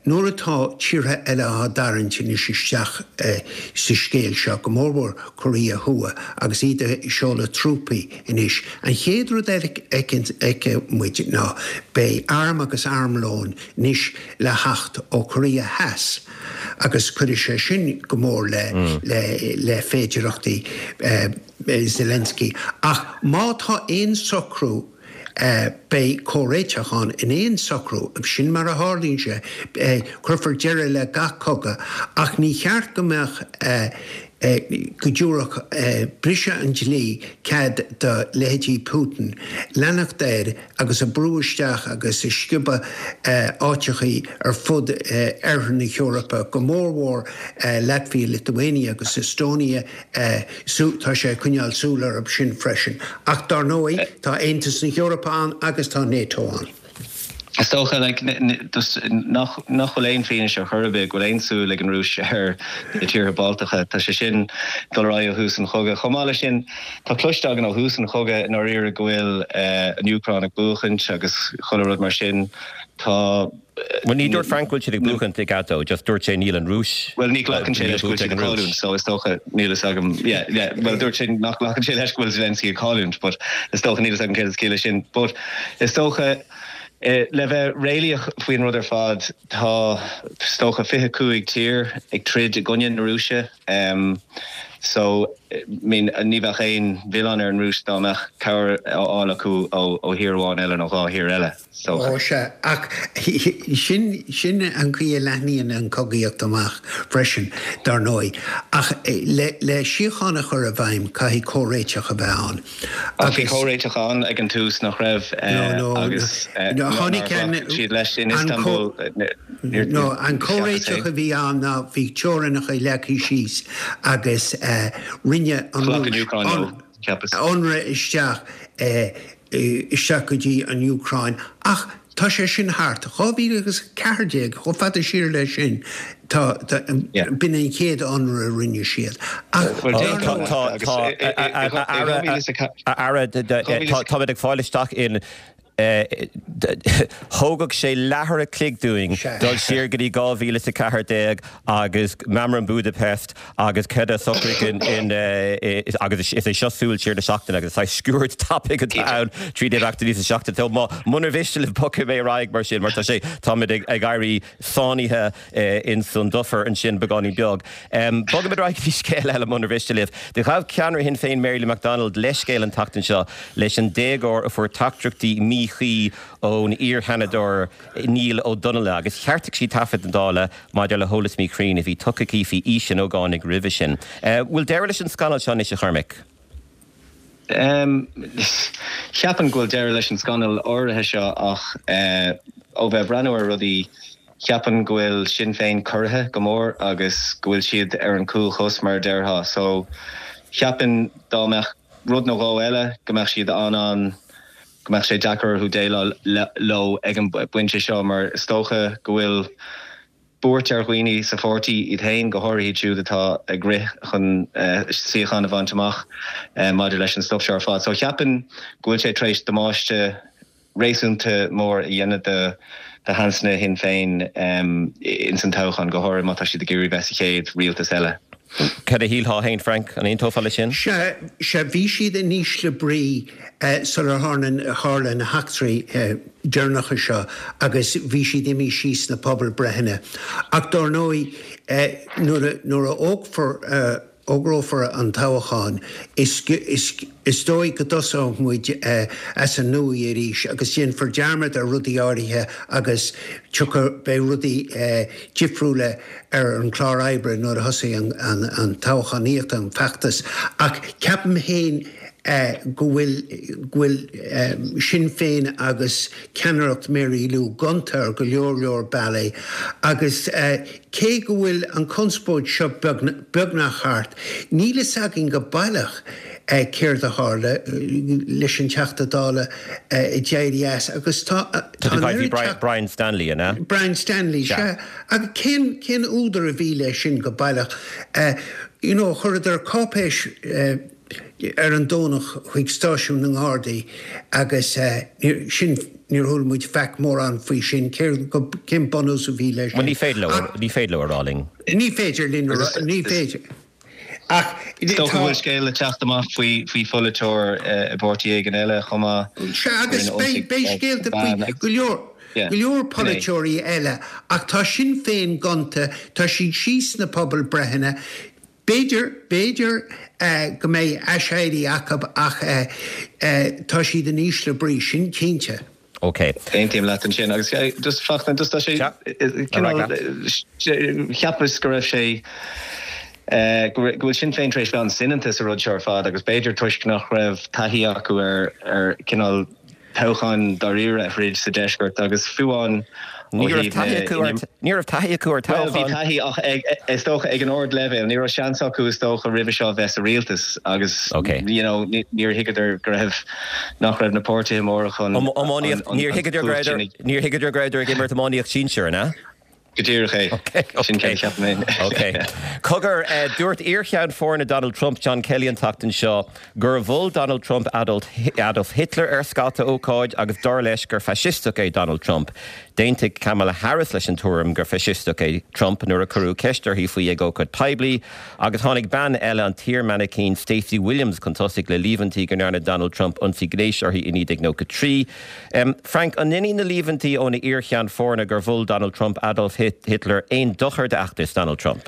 Nuair atá tíortha eile á dtarraingt anois isteach sa scéal seo, go mórmhór Cóiréa Thuaidh, agus iad ag seoladh trúpaí anois, an chéad rud a fheicfidh muid ná beidh airm agus armlón anois le theacht ó Chóiréa Theas agus cuirfidh sé sin go mór le féidearthachtaí Zelensky. Ach má tá aon socrú, Beidh comhréiteach ann in aon socrú, sin mar a tharlaíonn sé. Cuirfear deireadh le gach cogadh, ach ní cheart go mbeadh, go dtabharfadh briseadh an dlí cead do leithéidí Putin leanacht air agus ag brú isteach agus ag sciobadh áiteachaí ar fud oirthear na hEorpa, go mórmhór Latvia, Lithuania agus Estonia. Tá sé ag coinneáil súil orthu sin freisin. Ach dár ndóigh, tá Aontas na hEorpa ann agus tá NATO ann. Is dócha, like, nach bhfuil aon fianaise ar chor ar bith go bhfuil aon súil ag an Rúis ar na tíortha Baltacha. Tá sé sin ag dul ar aghaidh ó thús an chogaidh. Chomh maith leis sin, tá cloiste againn ó thús an chogaidh i ndáiríre go bhfuil an Úcráin ag buachaint agus chuile rud mar sin. Tá. Bhuel, ní dúirt Frank go bhfuil siad ag buachaint ag Eado, just dúirt sé níl an Rúis, Bhuel, ní ghlacann sé leis go bhfuil siad ag cailliúint, so is dócha, níl fhios agam, yeah, yeah, bhuel dúirt sé nach nglacann sé leis go bhfuil Zelensky ag cailliúint, but is dócha, níl fhios agam céard is ciall leis sin, but is dócha, le bheith réalaíoch faoin rud ar fad, tá, is dócha, 25 tír ag troid i gcoinne na Rúise, so, I mean, ní bheadh aon mhilleán ar an Rúis dá mbeadh cabhair á fháil acu ó thír amháin eile nó dhá thír eile. Ó sea, ach sin, sin an chaoi a leathnaíonn an chogaíocht amach freisin, dar ndóigh. Ach le, le síocháin a chur i bhfeidhm, caithfidh comhréiteach a bheith ann. Ach bhí comhréiteach ann ag an tús, nach raibh? No, no, Agus no, tháinig an, nár ghlac siad leis in an Istanbul, níor, No, an níor comhréiteach a bhí ann ná bhí teorainneacha leagtha síos agus rinne an Ghlac an Rúis Úcráin leo, cheapas. ionradh isteach isteach go dtí an Úcráin ach tá sé sin thart. 2014, chomh fada siar leis sin. Tá, b'in an chéad ionradh a rinne siad. Ach Tá, tá, a Aire, táimid ag fáil isteach in Thógfadh sé leathuair a chloig dúinn dul siar go dtí 2014 agus Meamram Budapest agus céard a socraíodh in agus is é seo Súil Siar na Seachtaine agus is saghas sciuird tapaidh atá ann tríd imeachtaí na seachtaine. So munar mhiste libh bogfaidh mé ar aghaidh mar sin mar tá sé táimid ag éirí sáinnithe ins an dufair ansin beagáinín beag. Bogaimid ar aghaidh go dtí scéal eile munar mhiste libh. Do ghabh ceannaire Shinn Féin Mary Lou McDonald leithscéal an tseachtain seo leis an déagóir a fuair teachtaireachtaí míchuí ón iar-Sheanadóir Niall Ó Donnaile agus cheartaigh sí taifead na Dála maidir le heolas míchruinn a bhí tugtha aici faoi aois an ógánaigh roimhe sin. Bhfuil deireadh leis an scannal seo anois a Chormaic? Cheapfainn go bhfuil deireadh leis an scannal áirithe seo ach ó bheith ag breathnú ar rudaí, cheapfainn go bhfuil Sinn Féin corraithe go mór agus go bhfuil siad ar an chúlchos mar a déarfá. So cheapfainn dá mbeadh rud nó dhó eile go mbeadh siad an-an, go mbeadh sé deacair orthu déileáil leo ag an bpointe seo mar is dócha go bhfuil buairt ar dhaoine sa pháirtí iad féin, go háirithe iad siúd atá ag rith chun suíochán a bhaint amach maidir leis an stuif seo ar fad. So cheapfainn go bhfuil sé tar éis damáiste réasúnta mór a dhéanamh do sheansanna Shinn Féin ins an toghchán, go háirithe má tá siad ag iarraidh bheith sa chéad rialtas eile. Cad a shílfeá féin, Frank? An aontófá leis sin? Sea, sea, bhí siad in ísle brí sular tharla na heachtraí deireanacha seo agus bhí siad imithe síos sna pobalbhreitheanna. Ach dár ndóigh, nuair a fhógfar, fhógrófar an toghchán, is dóigh go dtosóidh muid as an nua arís agus déanfar dearmad ar rudaí áirithe agus tiocfaidh, beidh rudaí difriúla ar an chlár oibre nuair a thosaíonn an toghchánaíocht, an feachtas. Ach ceapaim féin go bhfuil, go bhfuil Sinn Féin agus ceannaireacht Mary Lou gonta ar go leor leor bealaí agus cé go bhfuil an chonspóid seo beagnach thart, níl fhios againn go baileach céard a tharla leis an Teachta Dála a d'éirigh as agus tá an oiread teacht. Brian Stanley, an ea? Brian Stanley, sea. Agus cén, cén údar a bhí leis sin go baileach? You know, chuireadar cáipéis ar an Domhnach chuig stáisiún na nGardaí agus sin, níor chuala muid faic mórán faoi sin, céard, cén bunús a bhí leis sin. Bhuel, ní féidir leo, ní féidir leo a rá linn. Ní féidir linn a rá, ní féidir. Ach Is dócha go bhfuil scéal le teacht amach faoi faoi pholaiteoir i bpáirtí éigin eile chomh maith. Sea, agus beidh, beidh scéalta faoi go leor, go leor polaiteoirí eile ach tá Sinn Féin gonta, tá siad síos sna pobalbreitheanna, B'fhéidir, b'fhéidir go mbeidh aiséirí acu ach tá siad in ísle brí, sin cinnte. Ok. Aontaím leat ansin agus just Fachtna, just tá sé cineál, cheapas go raibh sé go bhfuil Sinn Féin tar éis bheith an-soineanta sa rud seo ar fad agus b'fhéidir toisc nach raibh taithí acu ar ar cineál toghcháin dáiríre a throid sa deisceart agus fiú amháin ó thaobh na. Ní raibh taithí acu ar toghcháin. Bhuel, bhí taithí ach ag, is dócha, ag an ardleibhéal. Ní raibh seans acu, is dócha, roimhe seo bheith sa rialtas agus you know níor thuigeadar go raibh, nach raibh na páirtithe móra chun an Níor thuigeadar go rabhadar, níor thuigeadar go rabhadar ag imirt iománaíocht sinsir, an ea? Go díreach é. Sin céard a cheapaim féin. Ok. Cogar, dúirt iarcheann foirne Donald Trump, John Kelly an tseachtain seo gur mhol Donald Trump Adolf Hitler ar scata ócáid agus dar leis gur faisisteach é Donald Trump. D'aontaigh Kamala Harris leis an tuairim gur faisisteach é Trump nuair a cuireadh ceist uirthi faoi ag ócáid poiblí agus tháinig bean eile, an t-iar-mhainicín Stacey Williams chun tosaigh le líomhaintí go ndearna Donald Trump ionsaí gnéis uirthi i 1993. Frank, an ndéanfaidh na líomhaintí óna iar-cheann foirne gur mhol Donald Trump Adolf Hitler aon dochar d'fheachtas Donald Trump?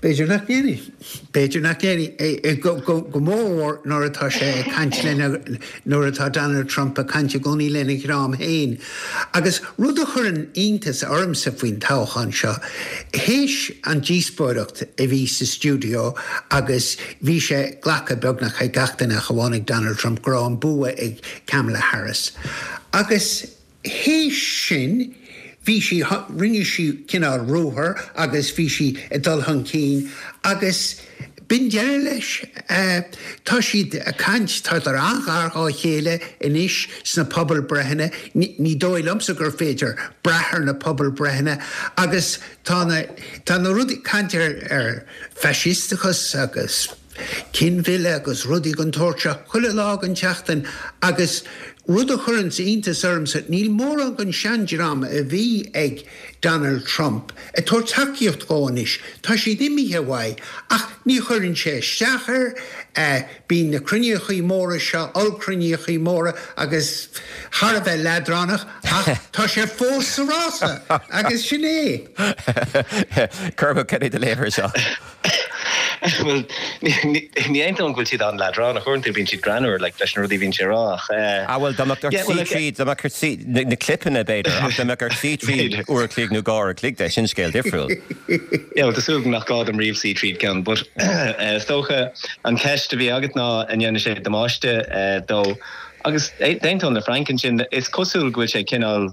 B'fhéidir nach ndéanfaidh. B'fhéidir nach ndéanfaidh. Go mórmhór nuair atá sé ag caint lena, nuair atá Donald Trump ag caint i gcónaí lena dhream féin. Agus rud a chuireann iontas ormsa faoin toghchán seo, théis an díospóireacht a bhí sa stiúideo agus bhí sé glactha beagnach ag gach duine ach amháin ag Donald Trump go raibh an bua ag Kamala Harris. Agus théis sin, bhí sí, rinne sí cineál ruathar agus bhí sí ag dul chun cinn agus. B'in deireadh leis. Tá siad ag caint, tádar an-ghar dhá chéile anois sna pobalbreitheanna. Ní dóigh liomsa gur féidir brath ar na pobalbreitheanna agus tá na, tá na rudaí, caint ar, ar faisisteachas agus ginmhilleadh agus rudaí den tsórt seo chuile lá den tseachtain agus rud a chuireanns iontas ormsa, níl mórán den seandream a bhí ag Donald Trump ag tabhairt tacaíocht dhó anois. Tá siad imithe uaidh ach ní chuireann sé isteach air. Bíonn na cruinníochaí móra seo, ollchruinníochaí móra agus thar a bheith leadránach ach tá sé fós sa rása agus sin é. Cormac, cad é do léamh air seo? Bhuel, ní aontóinn go bhfuil siad an-leadránach. Uaireanta bíonn siad greannmhar, like, leis na rudaí a bhíonn sé a rá ach. Ah bhuel, dá mbeadh ort suí tríd, dá mbeadh ort suí, na clipeanna b'fhéidir, ach dá mbeadh ort suí tríd uair a chloig nó dhá uair a chloig de, sin scéal difriúil. Yeah, bhuel, tá súil agam nach gá dom riamh suí tríd ceann, but is dócha an cheist a bhí agat ná an ndéanfaidh sé damáiste dó agus d'aontóinn le Frank ansin, is cosúil go bhfuil sé cineál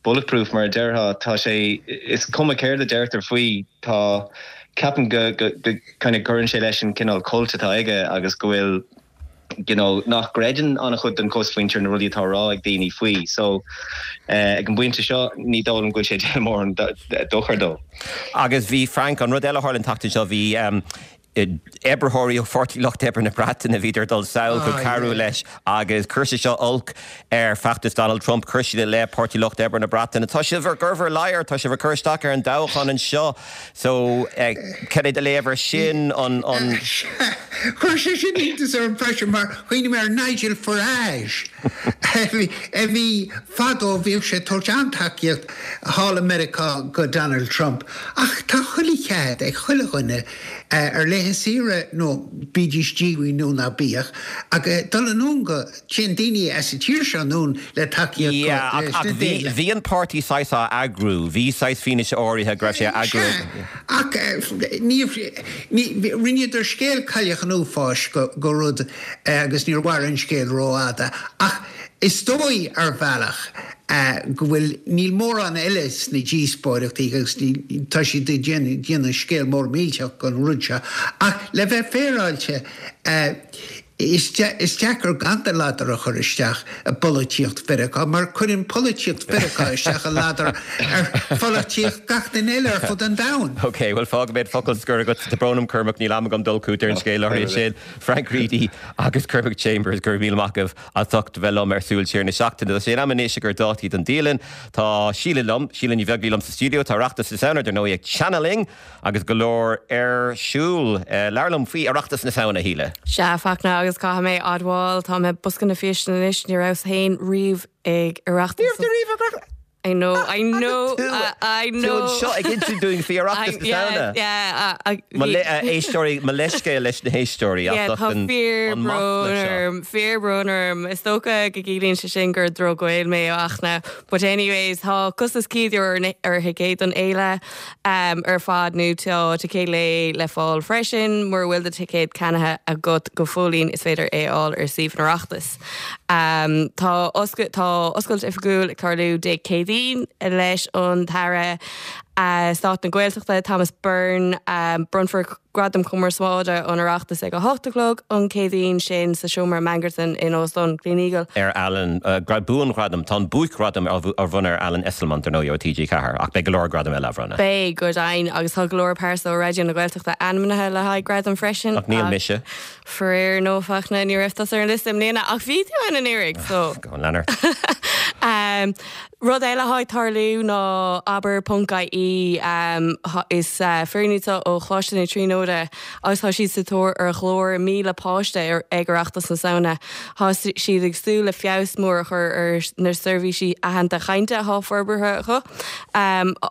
bulletproof mar a déarfá, tá sé, is cuma céard a deirtear faoi, tá, ceapaim go, go, go kind of cuireann sé leis an cineál cult atá aige agus go bhfuil, you know, nach gcreideann an-chuid den chosmhuintir na rudaí atá á rá ag daoine faoi. So, ag an bpointe seo, ní dóigh liom go bhfuil sé ag déanamh mórán dochair dó. Agus bhí, Frank, an rud eile a tharla an tseachtain seo, bhí, oibritheoirí ó Pháirtí Lucht Oibre na Breataine, bhíodar ag dul sall chun cabhrú leis agus chuir sé seo olc ar feachtas Donald Trump, chuir siad i leith Páirtí Lucht Oibre na Breataine, tá sibh ar gcur bhur ladhar, tá sibh ag cur isteach ar an dtoghchán anseo. So, cad é do léamh ar sin, an, an. Chuir sé sin iontas orm freisin mar chuimhnigh mé ar Nigel Farage a bhí fadó, bhíodh sé ag tabhairt an-tacaíocht thall i Meiriceá go Donald Trump ach tá chuile chead ag chuile dhuine ar laetha saoire nó bídís díomhaoin nó ná bíodh, ach dul anonn go, téann daoine as an tír seo anonn le tacaíocht go, Yeah, ach, ach bhí, bhí an páirtí saghas á eagrú, bhí saghas fianaise áirithe go raibh sé á eagrú. Sea, ach ní, ní, rinneadar scéal Cailleach an Uafáis go, go rud agus níor mhair an scéal rófhada ach is dóigh ar bhealach, go bhfuil, níl mórán eile sna díospóireachtaí agus tá siad ag déanamh scéal mór millteach den rud seo ach le bheith féaráilte is deacair gan do ladar a chur isteach i bpolaitíocht Mheiriceá mar cuireann polaitíocht Mheiriceá isteach a ladar ar pholaitíocht gach duine eile ar fud an domhain. Ok, bhuel fágfaidh mé an focal scoir agat. Tá brón orm Cormac, níl am agam dul chugat ar an scéal áirithe sin. Frank Reidy agus Cormac Chambers, go raibh míle maith agaibh. as ucht a bheith liom ar Súil Siar na Seachtaine. Tá sé in am anois ag cur dátaí don dialann. Tá Síle liom, Síle Ní Bheaglaoí liom sa stiúideo. Tá Oireachtas na Samhna, dar ndóigh, ag teannadh linn agus go leor ar siúl. Labhair liom faoi Oireachtas na Samhna, a Shíle. Sea, a Fhachtna, agus caithfidh mé a admháil, tá mé bosca na faoistine anois, ní rabhas féin riamh ag Oireachtas. Ní raibh tú riamh ag Oireachtas? I know, I know, I know. Tú anseo ag insint dúinn faoi Oireachtas na Samhna. Yeah, yeah. Mo éisteoirí, mo leithscéal leis na héisteoirí as ucht an masla seo. Tá fíor-bhrón orm, fíor-bhrón orm. Is dócha go gciallaíonn sé sin gur droch-Ghael mé, a Fhachtna. But anyways, tá costas €100 ar thicéad don fhéile ar fad nó tá ticéad lae le fáil freisin. Mura bhfuil do thicéad ceannaithe agat go fóillín, is féidir é a fháil ar suíomh an Oireachtais. Tá tá oscailt oifigiúil ag tarlú Dé Céadaoin leis an tAire Stáit na Gaeltachta, Thomas Byrne. Bronnfar Gradam Cumarsáide an Oireachtais ag 8 a chlog an Chéadaoin sin sa Seomra Mangerton in Óstán Gleneagle. Ar Alan, buanghradam, tá an buaicghradam á bhronnadh ar Alan Esslemont, ar ndóigh, ó TG4, ach beidh go leor gradam eile á bhronnadh. Beidh, go deimhin, agus tá go leor pearsa ó Raidió na Gaeltachta ainmnithe le haghaidh gradaim freisin. Ach níl mise. Faraor, no, a Fhachtna, ní raibh tusa ar an liosta i mbliana, ach bhí tú ann anuraidh, so. Go on, lean ort. Rud eile atá ag tarlú ná abair ponc ie, is foireann iad seo ó Choláiste na Tríonóide agus tá siad sa tóir ar ghlór 1,000 páiste ag Oireachtas na Samhna. Tá siad ag súil le feabhas mór a chur ar na seirbhísí aitheanta cainte atá forbartha acu.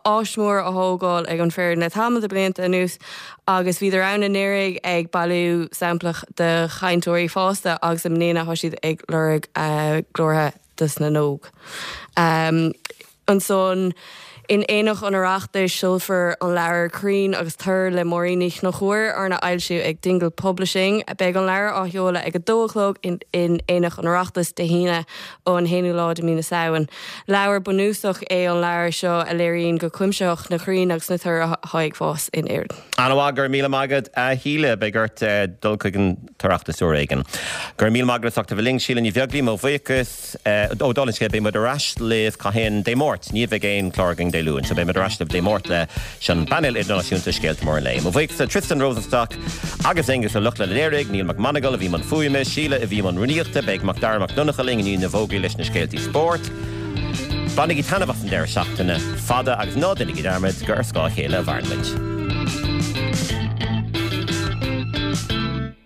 Áis mhór á thógáil ag an foireann le tamall de blianta anuas Agus bhíodar ann anuraidh ag bailiú samplach de chainteoirí fásta agus i mbliana tá siad ag lorg glórtha dos na n-óg. Ansan. In Aonach an Oireachtais, seolfar an leabhar Crainn agus Toir le Máirín Ní Chonchúir, arna fhoilsiú ag Dingle Publishing. Beidh an leabhar á sheoladh ag 2 a chlog in Aonach an Oireachtais Dé hAoine, an haonú lá de mí na Samhain. Leabhar bunúsach é an leabhar seo a léiríonn go cuimsitheach na crainn agus na toir atá ag fás in Éirinn. An-mhaith, go raibh míle maith agat, a Shíle. Beidh ort dul chuig an tOireachtas uair éigin. Go raibh míle maith agat as ucht a bheith linn, Síle Ní Bheaglaoí, mo bhuíochas. Ó dála an scéil, beidh muid ar ais libh cathain? Dé Máirt. Ní bheidh aon chlár againn Dé Luain, so beidh muid ar ais libh Dé Máirt leis an bpainéal idirnáisiúnta Scéalta Móra an Lae. Mo bhuíochas le Tristan Rosenstock agus Aonghus Ó Lochlainn a léirigh, Niall Mac Monagail a bhí i mbun fuaime, Síle a bhí i mbun rúnaíochta, beidh Macdara Mac Donncha linn i ndiaidh na bhfógraí leis na scéaltaí spóirt. Bainigí taitneamh as an deireadh seachtaine fada agus ná déanaigí dearmad gur ar scáth a chéile a mhaireann muid.